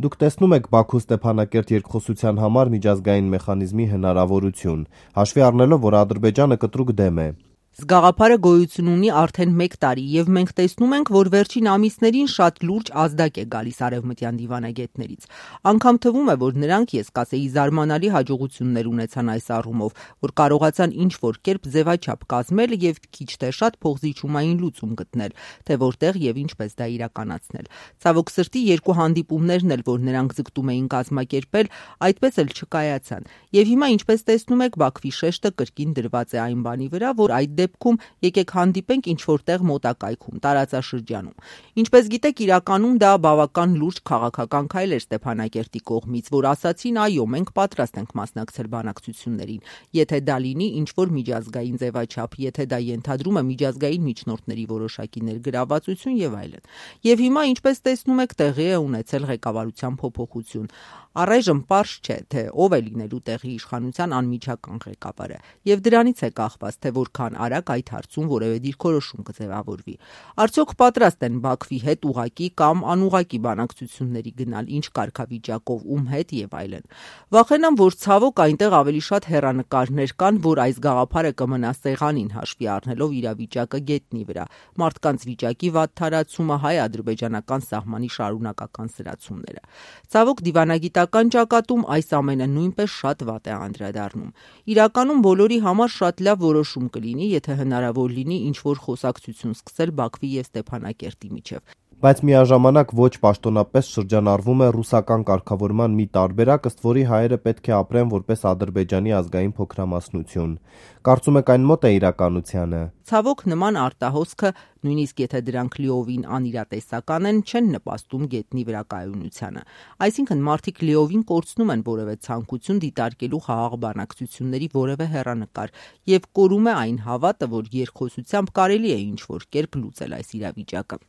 Դուք տեսնում եք Բաքու-Ստեփանակերտ երկխոսության համար միջազգային մեխանիզմի հնարավորություն, հաշվի առնելով, որ Ադրբեջանը կտրուկ դեմ է։ Զգաղափարը գոյություն ունի արդեն 1 տարի, եւ մենք տեսնում ենք, որ վերջին ամիսներին շատ լուրջ ազդակ է գալիս արևմտյան դիվանագետներից։ Անգամ թվում է, որ նրանք, ես կասեի, զարմանալի հաջողություններ ունեցան այս առումով, որ կարողացան ինչ-որ կերպ ձևաչափ կազմել եւ քիչ թե շատ փոխզիջումային լուծում գտնել, թե որտեղ եւ ինչպես դա իրականացնել։ Ցավոք սրտի, 2 հանդիպումներն էլ, որ նրանք ձգտում էին կազմակերպել, այդպես էլ չկայացան։ Եվ հիմա, ինչպես տեսնում եք, Բաքվի շեշտը կրկին դրված է այն բանի վրա, որ այդ դեպքում եկեք հանդիպենք ինչ-որտեղ մոտակայքում, տարածաշրջանում։ Ինչպես գիտեք, իրականում դա բավական լուրջ քաղաքական քայլ էր Ստեփանակերտի կողմից, որ ասացին, այո, մենք պատրաստ ենք մասնակցել բանակցություններին, եթե դա լինի ինչ-որ միջազգային ձևաչափ, եթե դա ենթադրում է միջազգային միջնորդների որոշակի ներգրավվածություն եւ այլն։ Եվ հիմա, ինչպես տեսնում եք, տեղի է ունեցել ղեկավարության փոփոխություն։ Առայժմ պարզ չէ, թե ով է լինելու տեղի իշխանության անմիջական ղեկավարը, եւ դրանից է կախված, թե որքան արագ այդ հարցում որևէ դիրքորոշում կձևավորվի։ Արդյոք պատրաստ են Բաքվի հետ ուղղակի կամ անուղղակի բանակցությունների գնալ, ինչ կարգավիճակով, ում հետ եւ այլն։ Վախենամ, որ ցավոք այնտեղ ավելի շատ հեռանկարներ կան, որ այս գաղափարը կմնա սեղանին, հաշվի առնելով իրավիճակը գետնի վրա, մարդկանց վիճակի վատ թարացումը, հայ-ադրբեջանական սահմանի շարունակական սրացումները։ Ցավոք, դիվանագիտական ճակատում այս ամենը նույնպես շատ վատ է անդրադառնում։ Իրականում բոլորի համար շատ լավ որոշում կլինի, եթե հնարավոր լինի ինչ-որ խոսակցություն սկսել Բաքվի եւ Ստեփանակերտի միջև։ Բայց միաժամանակ ոչ պաշտոնապես շրջանառվում է ռուսական կարգավորման մի տարբերակ, ըստ որի հայերը պետք է ապրեն որպես Ադրբեջանի ազգային փոքրամասնություն։ Կարծում եք այն մոտ է իրականությանը։ Ցավոք, նման արտահոսքը, նույնիսկ եթե դրանք լիովին անիրատեսական են, չեն նպաստում գետնի վրա կայունությանը։ Այսինքն մարդիկ լիովին կորցնում են որևէ ցանկություն դիտարկելու խաղաղ բանակցությունների որևէ հեռանկար եւ կորում է այն հավատը, որ երկխոսությամբ կարելի է ինչ-որ կերպ լուծել այս իրավիճակը։